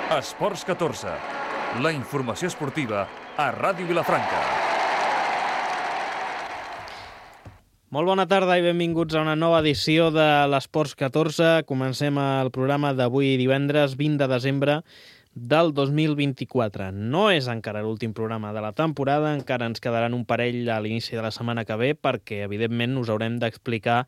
Esports 14, la informació esportiva a Ràdio Vilafranca. Molt bona tarda i benvinguts a una nova edició de l'Esports 14. Comencem el programa d'avui divendres 20 de desembre del 2024. No és encara l'últim programa de la temporada, encara ens quedaran un parell a l'inici de la setmana que ve perquè, evidentment, us haurem d'explicar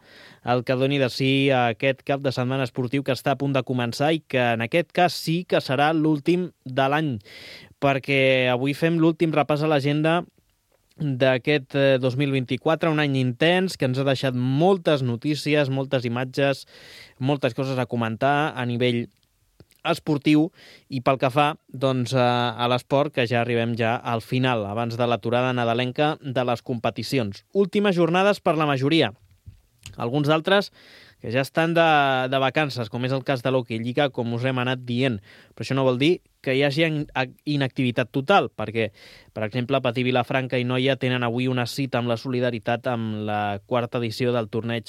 el que doni de si aquest cap de setmana esportiu que està a punt de començar i que en aquest cas sí que serà l'últim de l'any, perquè avui fem l'últim repàs a l'agenda d'aquest 2024, un any intens que ens ha deixat moltes notícies, moltes imatges, moltes coses a comentar a nivell esportiu i pel que fa doncs, a l'esport, que ja arribem ja al final, abans de l'aturada nadalenca de les competicions. Últimes jornades per la majoria. Alguns d'altres que ja estan de vacances, com és el cas de l'Hockey Lliga, com us hem anat dient. Però això no vol dir que hi hagi inactivitat total, perquè, per exemple, Patí, Vilafranca i Noia tenen avui una cita amb la solidaritat amb la quarta edició del torneig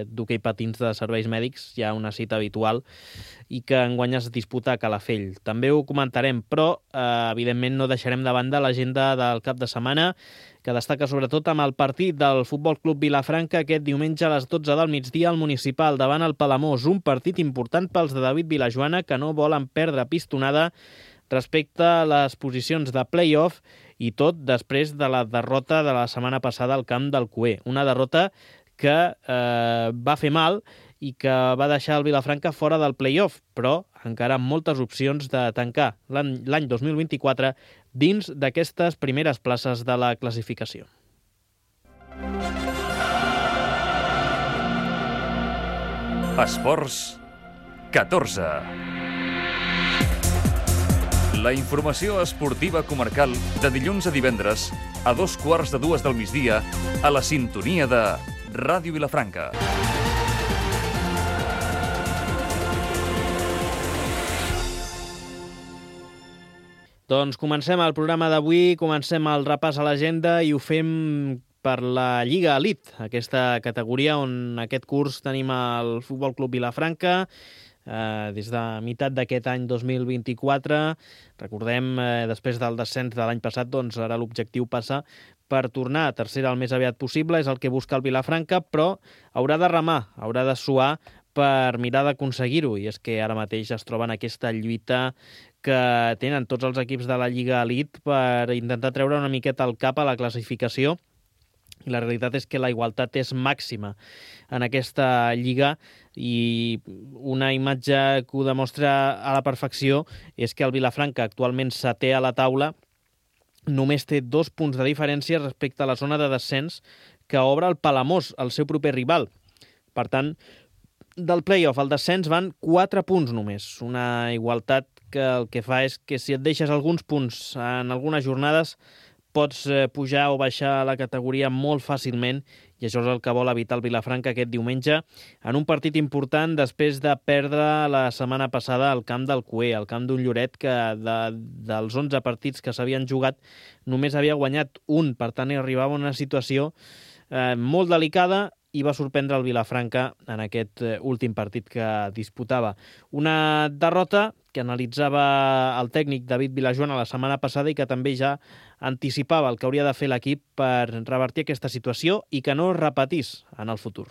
d'hoquei patins de serveis mèdics, ja una cita habitual, i que enguany es disputa a Calafell. També ho comentarem, però evidentment no deixarem de banda l'agenda del cap de setmana, que destaca sobretot amb el partit del Futbol Club Vilafranca aquest diumenge a les 12 del migdia al Municipal davant el Palamós, un partit important pels de David Vilajoana que no volen perdre pistonada respecte a les posicions de play-off i tot després de la derrota de la setmana passada al camp del Cué. Una derrota que va fer mal i que va deixar el Vilafranca fora del play-off, però encara amb moltes opcions de tancar l'any 2024 dins d'aquestes primeres places de la classificació. Esports 14. La informació esportiva comarcal de dilluns a divendres a 2:15 del migdia a la sintonia de Ràdio Vilafranca. Doncs comencem el programa d'avui, comencem el repàs a l'agenda i ho fem per la Lliga Elite, aquesta categoria on aquest curs tenim el Futbol Club Vilafranca, des de meitat d'aquest any 2024. Recordem, després del descens de l'any passat, doncs ara l'objectiu passa per tornar a tercera el més aviat possible, és el que busca el Vilafranca, però haurà de remar, haurà de suar per mirar d'aconseguir-ho, i és que ara mateix es troben aquesta lluita que tenen tots els equips de la Lliga Elite per intentar treure una miqueta el cap a la classificació, i la realitat és que la igualtat és màxima en aquesta lliga i una imatge que ho demostra a la perfecció és que el Vilafranca, actualment setè a la taula, només té 2 punts de diferència respecte a la zona de descens que obre el Palamós, el seu proper rival. Per tant, del play-off al descens van 4 punts només, una igualtat que el que fa és que si et deixes alguns punts en algunes jornades pots pujar o baixar la categoria molt fàcilment, i això és el que vol evitar el Vilafranca aquest diumenge en un partit important després de perdre la setmana passada al camp del Cué, al camp d'un Lloret que dels 11 partits que s'havien jugat només havia guanyat un, per tant arribava a una situació molt delicada i va sorprendre el Vilafranca en aquest últim partit que disputava. Una derrota que analitzava el tècnic David Vilajoana la setmana passada i que també ja anticipava el que hauria de fer l'equip per revertir aquesta situació i que no es repetís en el futur.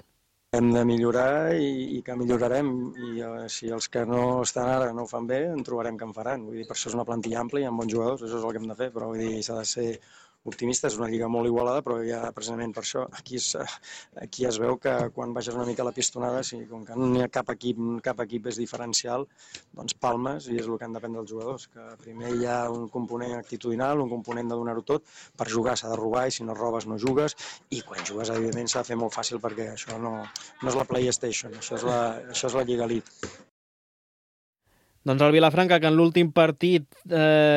Hem de millorar i que millorarem, i si els que no estan ara no ho fan bé, en trobarem que en faran. Vull dir, per això és una plantilla àmplia i amb bons jugadors, això és el que hem de fer, però vull dir, s'ha de ser optimista, és una lliga molt igualada, però ja precisament per això aquí es veu que quan baixes una mica la pistonada, com que no hi ha cap equip és diferencial, doncs palmes, i és el que han d'aprendre els jugadors, que primer hi ha un component actitudinal, un component de donar-ho tot, per jugar s'ha de robar i si no robes no jugues, i quan jugues evidentment s'ha de fer molt fàcil perquè això no és la PlayStation, això és la Lliga Elite. Doncs el Vilafranca, que en l'últim partit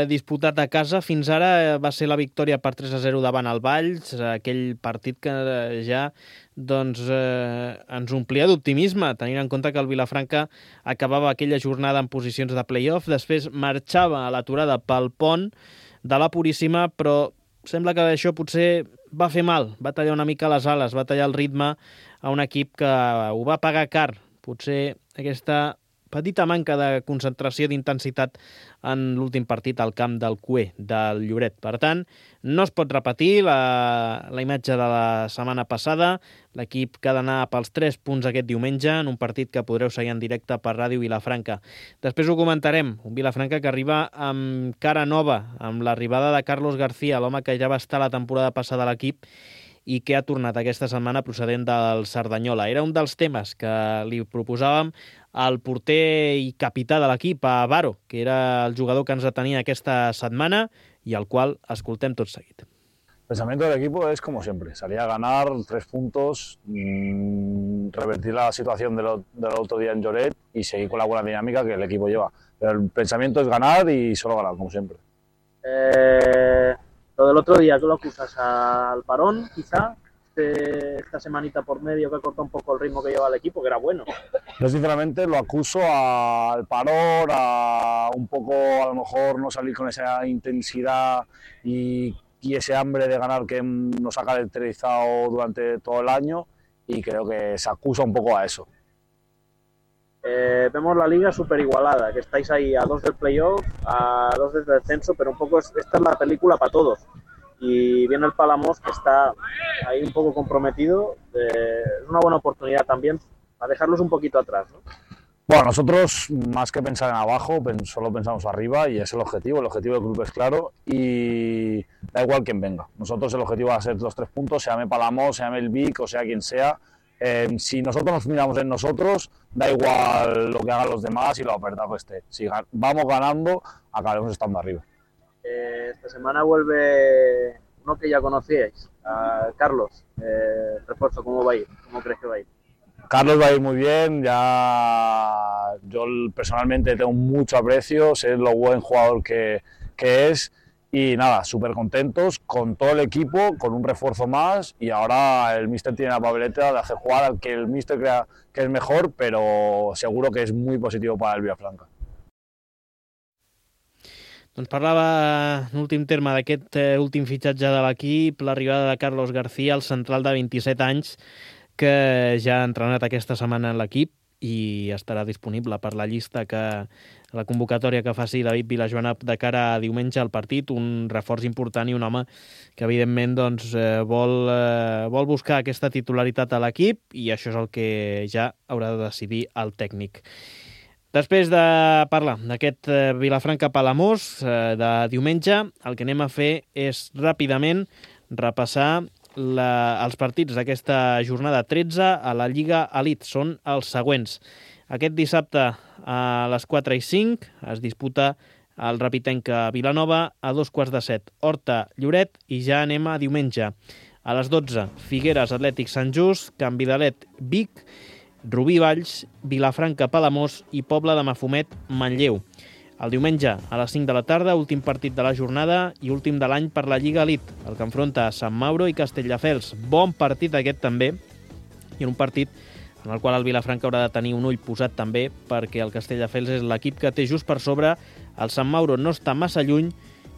disputat a casa, fins ara va ser la victòria per 3-0 davant el Valls, aquell partit que ja ens omplia d'optimisme, tenint en compte que el Vilafranca acabava aquella jornada en posicions de play-off, després marxava a l'aturada pel pont de la Puríssima, però sembla que això potser va fer mal, va tallar una mica les ales, va tallar el ritme a un equip que ho va pagar car. Potser aquesta petita manca de concentració d'intensitat en l'últim partit al camp del Cué, del Lloret. Per tant, no es pot repetir la imatge de la setmana passada. L'equip que ha d'anar pels 3 punts aquest diumenge en un partit que podreu seguir en directe per Ràdio Vilafranca. Després ho comentarem. Un Vilafranca que arriba amb cara nova, amb l'arribada de Carlos García, l'home que ja va estar la temporada passada a l'equip i que ha tornat aquesta setmana procedent del Cerdanyola. Era un dels temes que li proposàvem al porter i capità de l'equip, a Baro, que era el jugador que ens atenia aquesta setmana i al qual escoltem tot seguit. El pensamiento del equipo es como siempre, salir a ganar 3 puntos, revertir la situación del otro día en Lloret y seguir con la buena dinámica que el equipo lleva. Pero el pensamiento es ganar y solo ganar, como siempre. Lo del otro día, ¿tú lo acusas al parón, quizá? Esta semanita por medio que corta un poco el ritmo que lleva el equipo, que era bueno. Yo sinceramente lo acuso al parón, a un poco a lo mejor no salir con esa intensidad y ese hambre de ganar que nos ha caracterizado durante todo el año, y creo que se acusa un poco a eso. Vemos la liga súper igualada, que estáis ahí a 2 del playoff, a 2 del descenso, pero un poco esta es la película para todos. Y viene el Palamós, que está ahí un poco comprometido. Es una buena oportunidad también para dejarlos un poquito atrás, ¿no? Bueno, nosotros más que pensar en abajo, solo pensamos arriba, y es el objetivo del club es claro y da igual quién venga. Nosotros el objetivo va a ser los 3 puntos, se llame Palamós, se llame el Vic o sea quien sea. Si nosotros nos miramos en nosotros, da igual lo que hagan los demás y lo apretado que esté. Si vamos ganando, acabaremos estando arriba. Esta semana vuelve uno que ya conocíais, Carlos. Refuerzo, ¿cómo va a ir? ¿Cómo crees que va a ir? Carlos va a ir muy bien, ya yo personalmente tengo mucho aprecio, sé lo buen jugador que es. Y nada, súper contentos con todo el equipo, con un refuerzo más, y ahora el míster tiene la papeleta de hacer jugar al que el míster crea que es mejor, pero seguro que és muy positivo para el Vilafranca. Doncs parlava en últim terme d'aquest últim fitxatge de l'equip, l'arribada de Carlos García, el central de 27 anys, que ja ha entrenat aquesta setmana en l'equip i estarà disponible per la llista la convocatòria que faci David Vilajoana de cara a diumenge al partit, un reforç important i un home que evidentment doncs, vol buscar aquesta titularitat a l'equip, i això és el que ja haurà de decidir el tècnic. Després de parlar d'aquest Vilafranca-Palamós de diumenge, el que anem a fer és ràpidament repassar els partits d'aquesta jornada 13 a la Lliga Elite. Són els següents. Aquest dissabte a les 4:05 es disputa el Rapitenca Vilanova a 2:15. Horta-Lloret, i ja anem a diumenge. A les 12, Figueres Atlètic Sant Just, Can Vidalet Vic, Rubí Valls, Vilafranca Palamós i Pobla de Mafumet Manlleu. El diumenge, a les 5 de la tarda, últim partit de la jornada i últim de l'any per la Lliga Elite, el que enfronta Sant Mauro i Castelldefels. Bon partit aquest també, i en un partit en el qual el Vilafranca haurà de tenir un ull posat també, perquè el Castelldefels és l'equip que té just per sobre, el Sant Mauro no està massa lluny,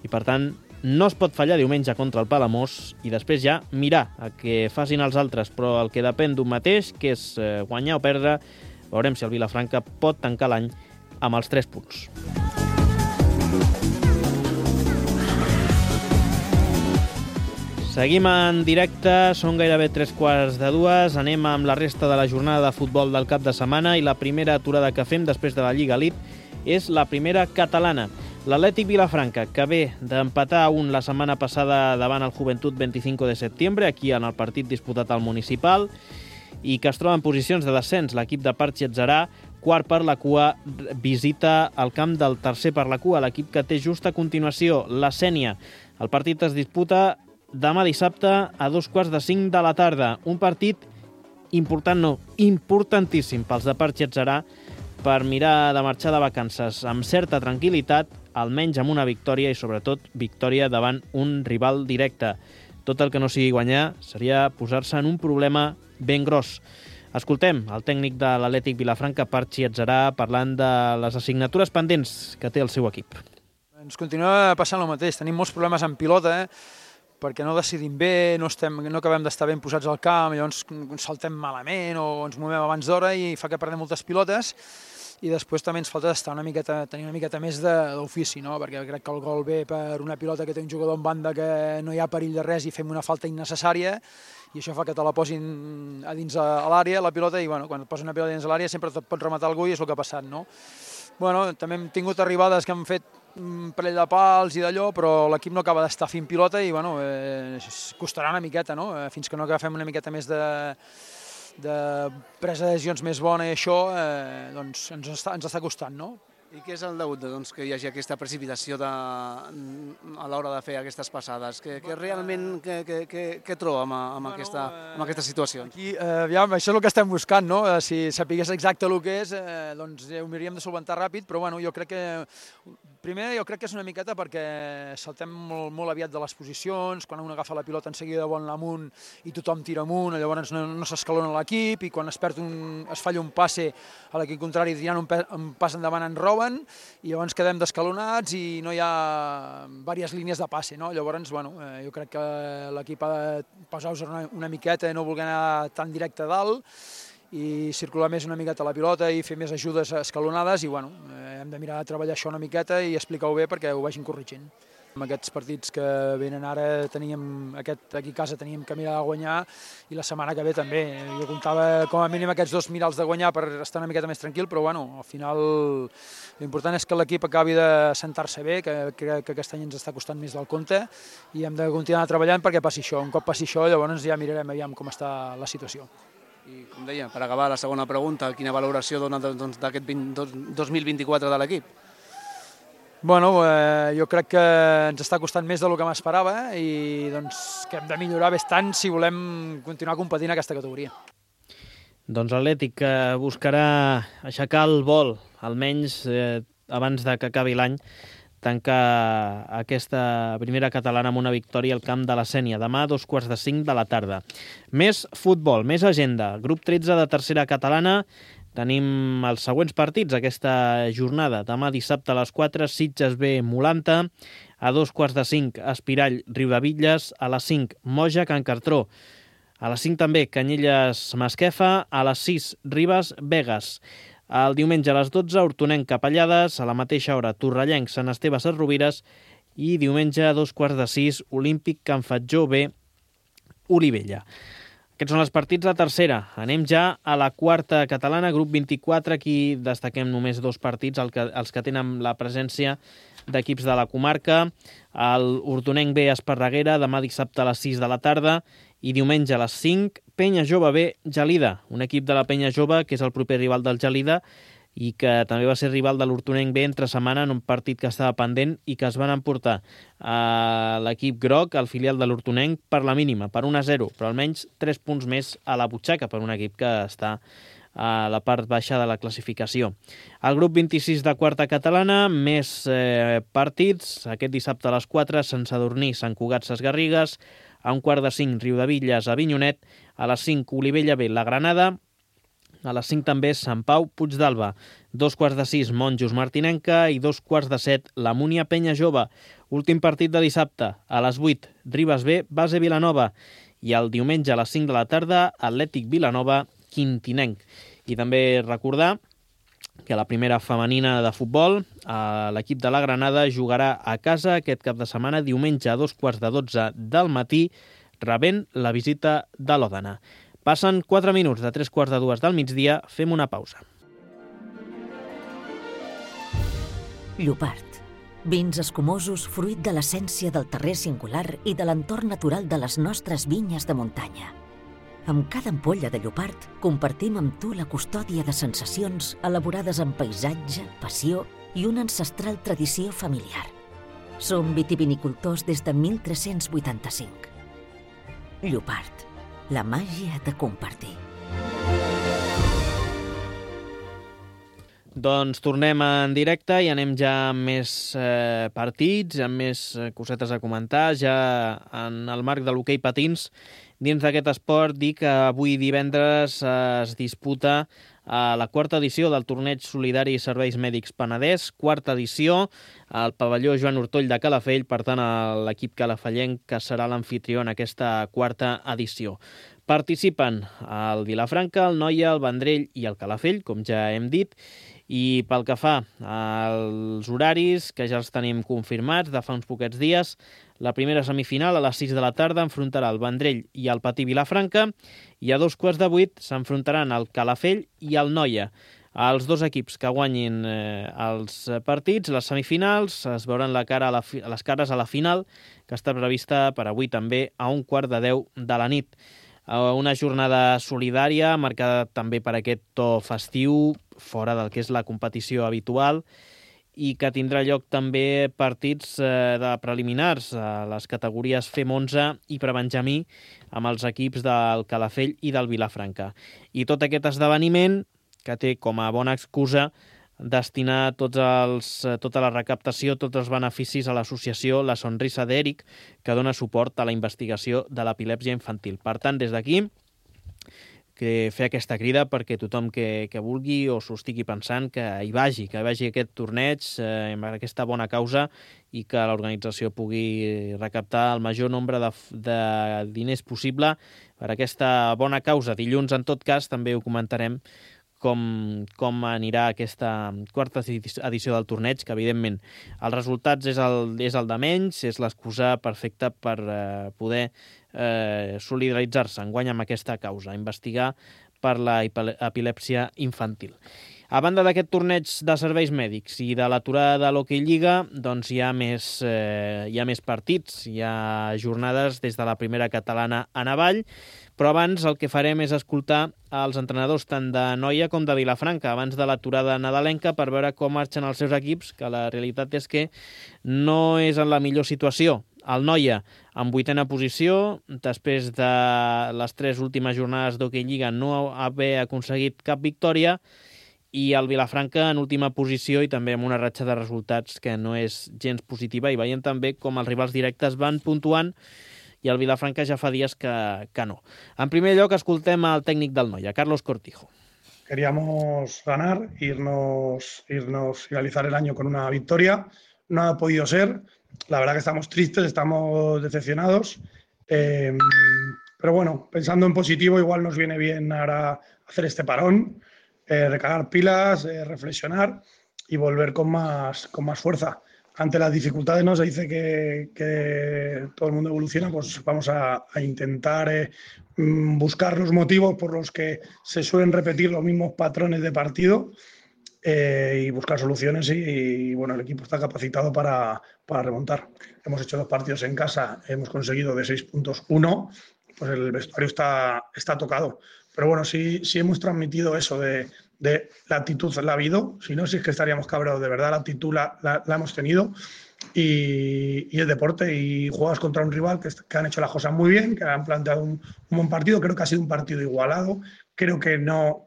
i per tant no es pot fallar diumenge contra el Palamós, i després ja mirar a què facin els altres, però el que depèn d'un mateix, que és guanyar o perdre, veurem si el Vilafranca pot tancar l'any amb els 3 punts. Seguim en directe, són gairebé 3:15, anem amb la resta de la jornada de futbol del cap de setmana, i la primera aturada que fem després de la Lliga Elite és la primera catalana. L'Atlètic Vilafranca, que ve d'empatar a 1 la setmana passada davant el Joventut 25 de setembre, aquí en el partit disputat al Municipal, i que es troba en posicions de descens. L'equip de Parchi Atzarà, quart per la cua, visita el camp del tercer per la cua, l'equip que té just a continuació, la Sénia. El partit es disputa demà dissabte a 4:15 de la tarda. Un partit important, no, importantíssim pels de Parchi Atzarà per mirar de marxar de vacances amb certa tranquil·litat, almenys amb una victòria, i sobretot victòria davant un rival directe. Tot el que no sigui guanyar seria posar-se en un problema ben gros. Escoltem el tècnic de l'Atlètic Vilafranca, Parchi Atzarà, parlant de les assignatures pendents que té el seu equip. Ens continua passant el mateix, tenim molts problemes en pilota, perquè no decidim bé, no acabem d'estar ben posats al camp, llavors saltem malament o ens movem abans d'hora i fa que perdem moltes pilotes, i després també ens falta tenir una miqueta més d'ofici, no? Perquè crec que el gol ve per una pilota que té un jugador en banda que no hi ha perill de res i fem una falta innecessària, i això fa que te la posin a dins a l'àrea, la pilota, i bueno, quan et posen una pilota dins a l'àrea sempre et pot rematar algú i és el que ha passat, no? Bueno, també hem tingut arribades que han fet un parell de pals i d'allò, però l'equip no acaba d'estar fent pilota i bueno, costarà una miqueta, no? Fins que no agafem una miqueta més de presa de decisions més bona i això, doncs ens està costant, no? I què és el degut doncs, que hi hagi aquesta precipitació a l'hora de fer aquestes passades? Què realment trobem amb aquesta situació? Aquí, aviam, això és el que estem buscant, no? Si sapigués exacte el que és, doncs ho hauríem de solventar ràpid, però bueno, jo crec que és una miqueta perquè saltem molt aviat de les posicions, quan un agafa la pilota en seguida vol anar amunt i tothom tira amunt, llavors no s'escalona l'equip, i quan es falla un passe a l'equip contrari tirant un pas endavant en roben, i llavors quedem descalonats i no hi ha diverses línies de passe, no? Llavors, bueno, jo crec que l'equip ha de posar-se una miqueta i no voler anar tan directe a dalt i circular més una miqueta la pilota i fer més ajudes escalonades i, bueno, hem de mirar de treballar això una miqueta i explicar-ho bé perquè ho vagin corregint. Amb aquests partits que venen ara, aquí a casa teníem que mirar de guanyar i la setmana que ve també. Jo comptava com a mínim aquests 2 mirals de guanyar per estar una miqueta més tranquil, però bueno, al final l'important és que l'equip acabi de sentar-se bé, que crec que aquest any ens està costant més del compte i hem de continuar treballant perquè passi això. Un cop passi això, llavors ja mirarem aviam com està la situació. I com deia, per acabar la segona pregunta, quina valoració dona d'aquest 2024 de l'equip? Bueno, jo crec que ens està costant més del que m'esperava i doncs, que hem de millorar bastant si volem continuar competint en aquesta categoria. Doncs l'Atlètic buscarà aixecar el vol, almenys abans de que acabi l'any, tancar aquesta primera catalana amb una victòria al camp de la Sénia, demà a 4:45 de la tarda. Més futbol, més agenda. Grup 13 de tercera catalana. Tenim els següents partits aquesta jornada. Demà dissabte a les 4, Sitges B Molanta, a 4:45 Espirall Riudebitlles, a les 5 Moja Can Cartró, a les 5 també Canyelles Masquefa, a les 6 Ribes Begues. El diumenge a les 12 Hortonenc Capellades, a la mateixa hora Torrellenc Sant Esteve Sesrovires i diumenge a 5:45 Olímpic Can Fatjó B Olivella. Aquests són els partits de tercera. Anem ja a la quarta catalana, grup 24. Aquí destaquem només 2 partits, els que tenen la presència d'equips de la comarca. El Hortonenc B Esparreguera, demà dissabte a les 6 de la tarda i diumenge a les 5, Penya Jove B Gelida, un equip de la Penya Jove que és el proper rival del Gelida i que també va ser rival de l'Hortonenc B entre setmana en un partit que estava pendent i que es van emportar a l'equip groc, el filial de l'Hortonenc, per la mínima, per 1-0, però almenys 3 punts més a la butxaca per un equip que està a la part baixa de la classificació. El grup 26 de quarta catalana, més partits. Aquest dissabte a les 4, Sant Sadurní, Sant Cugat, Ses Garrigues, a 4:45 Riudebitlles, Avinyonet, a les 5 Olivella B, La Granada, a les 5 també Sant Pau, Puigdàlber, 5:45 Monjos Martinenca i 5:45 la Múnia Penya Jove. Últim partit de dissabte, a les 8 Ribes B, Base Vilanova i el diumenge a les 5 de la tarda Atlètic Vilanova, Quintinenc. I també recordar que la primera femenina de futbol, l'equip de la Granada, jugarà a casa aquest cap de setmana, diumenge a 2:15 del matí, rebent la visita de l'Òdena. Passen 4 minuts de 3:15 del migdia, fem una pausa. Llopart. Vins escumosos fruit de l'essència del terrer singular i de l'entorn natural de les nostres vinyes de muntanya. Amb cada ampolla de Llopart compartim amb tu la custòdia de sensacions elaborades amb paisatge, passió i una ancestral tradició familiar. Som vitivinicultors des de 1385. Llopart, la màgia de compartir. Doncs tornem en directe i anem ja amb més partits, amb més cosetes a comentar, ja en el marc de l'hoquei patins. Dins d'aquest esport, dir que avui divendres es disputa la quarta edició del Torneig Solidari i Serveis Mèdics Penedès, quarta edició, al pavelló Joan Ortoll de Calafell, per tant l'equip calafellenc que serà l'amfitrió en aquesta quarta edició. Participen el Vilafranca, el Noia, el Vendrell i el Calafell, com ja hem dit, i pel que fa als horaris, que ja els tenim confirmats de fa uns poquets dies, la primera semifinal a les 6 de la tarda enfrontarà el Vendrell i el Patí Vilafranca i a 7:15 s'enfrontaran el Calafell i el Noia. Els dos equips que guanyin els partits, les semifinals, es veuran les cares a la final, que està prevista per avui també a 9:45 de la nit. Una jornada solidària marcada també per aquest to festiu, fora del que és la competició habitual, i que tindrà lloc també partits de preliminars a les categories FEM 11 i prebenjamí amb els equips del Calafell i del Vilafranca. I tot aquest esdeveniment que té com a bona excusa destinar tota la recaptació, tots els beneficis a l'associació La Sonrisa d'Eric, que dona suport a la investigació de l'epilèpsia infantil. Per tant, des d'aquí, fer aquesta crida perquè tothom que vulgui o s'ho estigui pensant que hi vagi aquest torneig amb aquesta bona causa i que l'organització pugui recaptar el major nombre de diners possible per aquesta bona causa. Dilluns, en tot cas, també ho comentarem com anirà aquesta quarta edició del torneig, que evidentment els resultats és el de menys, és l'excusa perfecta per poder solidaritzar-se enguany amb aquesta causa, investigar per la epilèpsia infantil. A banda d'aquest torneig de serveis mèdics i de l'aturada de l'Hockey Lliga, doncs hi ha més partits, hi ha jornades des de la primera catalana en avall, però abans el que farem és escoltar els entrenadors tant de Noia com de Vilafranca abans de l'aturada nadalenca per veure com marxen els seus equips, que la realitat és que no és en la millor situació. El Noia en 8ª posició, després de les 3 últimes jornades d'Hockey Lliga no haver aconseguit cap victòria, i el Vilafranca en última posició i també amb una ratxa de resultats que no és gens positiva, i veiem també com els rivals directes van puntuant i el Vilafranca ja fa dies que no. En primer lloc, escoltem el tècnic del Noia, Carlos Cortijo. Queríamos ganar, irnos finalizar el año con una victoria. No ha podido ser. La verdad que estamos tristes, estamos decepcionados. Pero bueno, pensando en positivo, igual nos viene bien ahora hacer este parón, recargar pilas, reflexionar y volver con más fuerza. Ante las dificultades, ¿no? Se dice que todo el mundo evoluciona, pues vamos a intentar buscar los motivos por los que se suelen repetir los mismos patrones de partido y buscar soluciones y bueno, el equipo está capacitado para remontar. Hemos hecho 2 partidos en casa, hemos conseguido de 6 puntos 1, pues el vestuario está tocado. Pero bueno, sí hemos transmitido eso de la actitud, la ha habido, si no, sí es que estaríamos cabreados, de verdad la actitud la hemos tenido y el deporte, y juegas contra un rival que han hecho las cosas muy bien, que han planteado un buen partido. Creo que ha sido un partido igualado, creo que no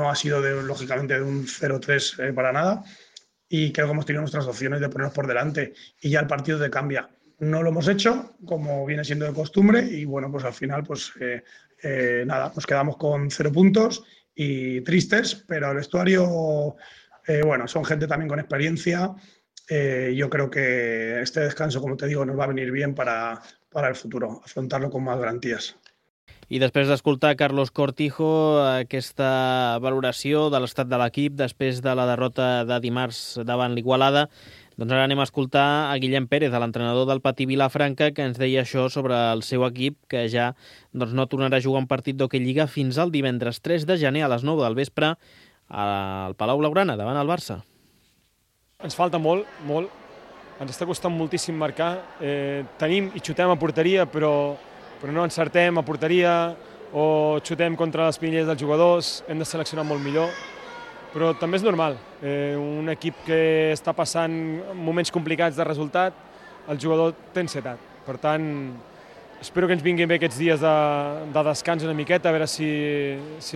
ha sido lógicamente de un 0-3 para nada, y creo que hemos tenido nuestras opciones de ponernos por delante y ya el partido te cambia. No lo hemos hecho, como viene siendo de costumbre, y bueno, pues al final nada, nos quedamos con 0 puntos y tristes, pero el vestuario, bueno, son gente también con experiencia. Yo creo que este descanso, como te digo, nos va a venir bien para el futuro, afrontarlo con más garantías. I després d'escoltar Carlos Cortijo, aquesta valoració de l'estat de l'equip després de la derrota de dimarts davant l'Igualada, doncs ara anem a escoltar a Guillem Pérez, l'entrenador del Patí Vilafranca, que ens deia això sobre el seu equip, que ja no tornarà a jugar un partit d'Hockey Lliga fins al divendres 3 de gener a les 9 del vespre al Palau Blaugrana, davant el Barça. Ens falta molt. Ens està costant moltíssim marcar. Tenim i xutem a porteria, però no encertem a porteria o xutem contra les pinelles dels jugadors. Hem de seleccionar molt millor. Però també és normal. Un equip que està passant moments complicats de resultat, el jugador té ansietat. Per tant, espero que ens vinguin bé aquests dies de descans una miqueta, a veure si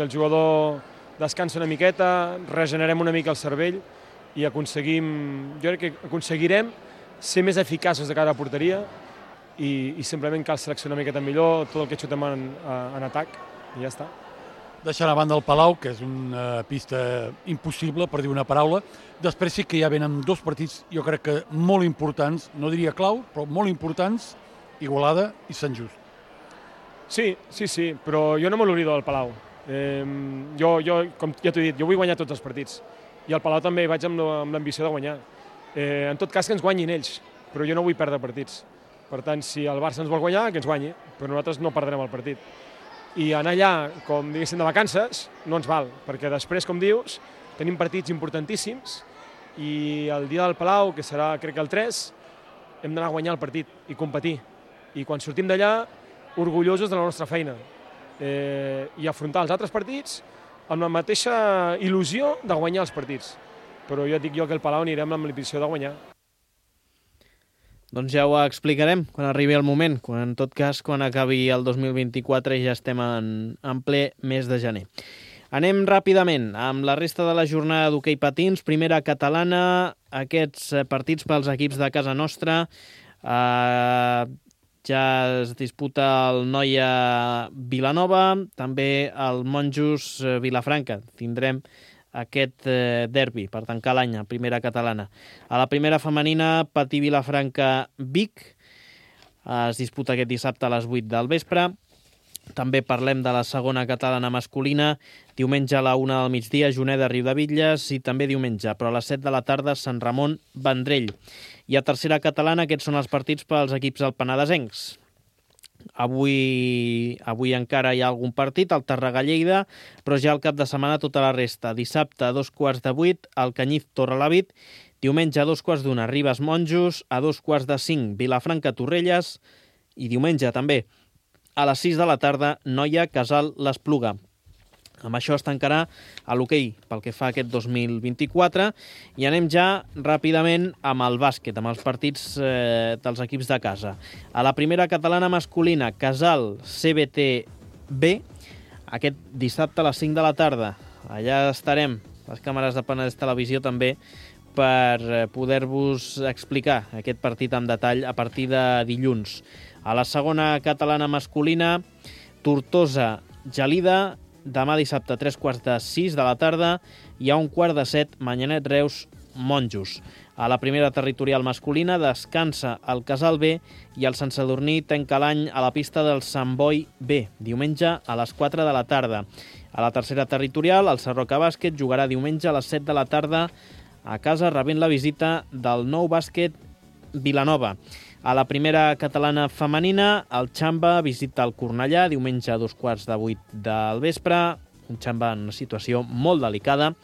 el jugador descansa una miqueta, regenerem una mica el cervell i jo crec que aconseguirem ser més eficaços de cara a porteria i simplement cal seleccionar una miqueta millor tot el que xutem en atac i ja està. Deixant a banda el Palau, que és una pista impossible, per dir una paraula. Després sí que ja venen 2 partits, jo crec que molt importants, no diria clau, però molt importants, Igualada i Sant Just. Sí, però jo no me l'oblido del Palau. Jo, com ja t'ho he dit, jo vull guanyar tots els partits. I al Palau també vaig amb l'ambició de guanyar. En tot cas, que ens guanyin ells, però jo no vull perdre partits. Per tant, si el Barça ens vol guanyar, que ens guanyi, però nosaltres no perdrem el partit. I anar allà, com diguéssim, de vacances, no ens val, perquè després, com dius, tenim partits importantíssims i el dia del Palau, que serà, crec que el 3, hem d'anar a guanyar el partit i competir. I quan sortim d'allà, orgullosos de la nostra feina i afrontar els altres partits amb la mateixa il·lusió de guanyar els partits. Però jo dic que el Palau anirem amb l'ambició de guanyar. Doncs ja ho explicarem quan arribi el moment, en tot cas, quan acabi el 2024 i ja estem en ple mes de gener. Anem ràpidament amb la resta de la jornada d'hoquei patins. Primera catalana, aquests partits pels equips de casa nostra. Ja es disputa el Noia Vilanova, també el Monjos Vilafranca. Tindrem aquest derbi per tancar l'any a primera catalana. A la primera femenina, Patí Vilafranca-Vic. Es disputa aquest dissabte a les 8 del vespre. També parlem de la segona catalana masculina. Diumenge a la 1 del migdia, Juneda Riudebitlles, i també diumenge, però a les 7 de la tarda, Sant Ramon Vendrell. I a tercera catalana, aquests són els partits pels equips alpenadesencs. Avui encara hi ha algun partit, el Tàrrega-Lleida, però ja al cap de setmana tota la resta. Dissabte a 2:15, el Canyif Torrelavit. Diumenge a 2:15, Ribes-Monjos. A 2:45, Vilafranca-Torrelles. I diumenge també a les 6 de la tarda, Noia-Casal-l'Espluga. Amb això es tancarà a l'hoquei pel que fa a aquest 2024 i anem ja ràpidament amb el bàsquet, amb els partits dels equips de casa. A la primera catalana masculina, Casal CBT B, aquest dissabte a les 5 de la tarda. Allà estarem, les càmeres de Penedès Televisió també, per poder-vos explicar aquest partit en detall a partir de dilluns. A la segona catalana masculina, Tortosa-Gelida, demà dissabte a 3:15 de la tarda i a 1:15, Manyanet-Reus, Monjos. A la primera territorial masculina descansa el Casal B i el Sant Sadurní tanca l'any a la pista del Sant Boi B, diumenge a les 4 de la tarda. A la tercera territorial, el Sarroca Bàsquet jugarà diumenge a les 7 de la tarda a casa rebent la visita del Nou Bàsquet Vilanova. A la primera catalana femenina, el Xamba visita el Cornellà diumenge a 7:15 del vespre. Un Xamba en una situació molt delicada.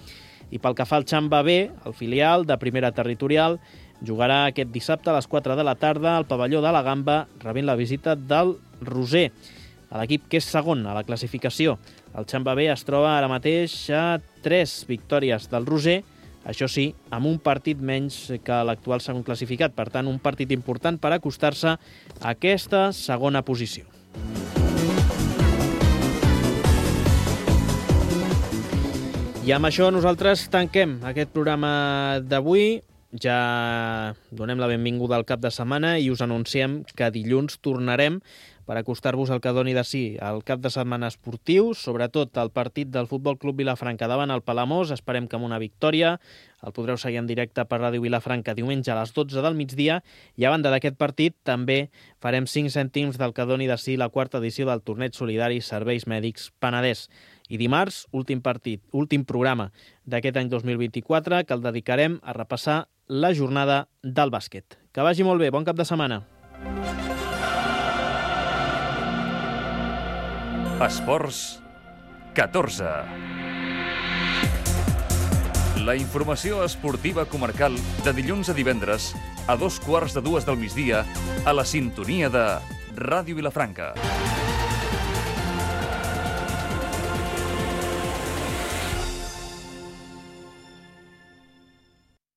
I pel que fa al Xamba B, el filial de primera territorial, jugarà aquest dissabte a les 4 de la tarda al pavelló de la Gamba, rebent la visita del Roser, l'equip que és segon a la classificació. El Xamba B es troba ara mateix a 3 victòries del Roser, això sí, amb un partit menys que l'actual segon classificat. Per tant, un partit important per acostar-se a aquesta segona posició. I amb això nosaltres tanquem aquest programa d'avui. Ja donem la benvinguda al cap de setmana i us anunciem que dilluns tornarem per acostar-vos el que doni de si el cap de setmana esportiu, sobretot el partit del Futbol Club Vilafranca davant el Palamós. Esperem que amb una victòria. El podreu seguir en directe per Ràdio Vilafranca diumenge a les 12 del migdia. I a banda d'aquest partit també farem 5 cèntims del que doni de si la quarta edició del Torneig Solidari Serveis Mèdics Penedès. I dimarts, últim programa d'aquest any 2024, que el dedicarem a repassar la jornada del bàsquet. Que vagi molt bé, bon cap de setmana. Esports 14. La informació esportiva comarcal de dilluns a divendres a 2:15 del migdia a la sintonia de Ràdio Vilafranca.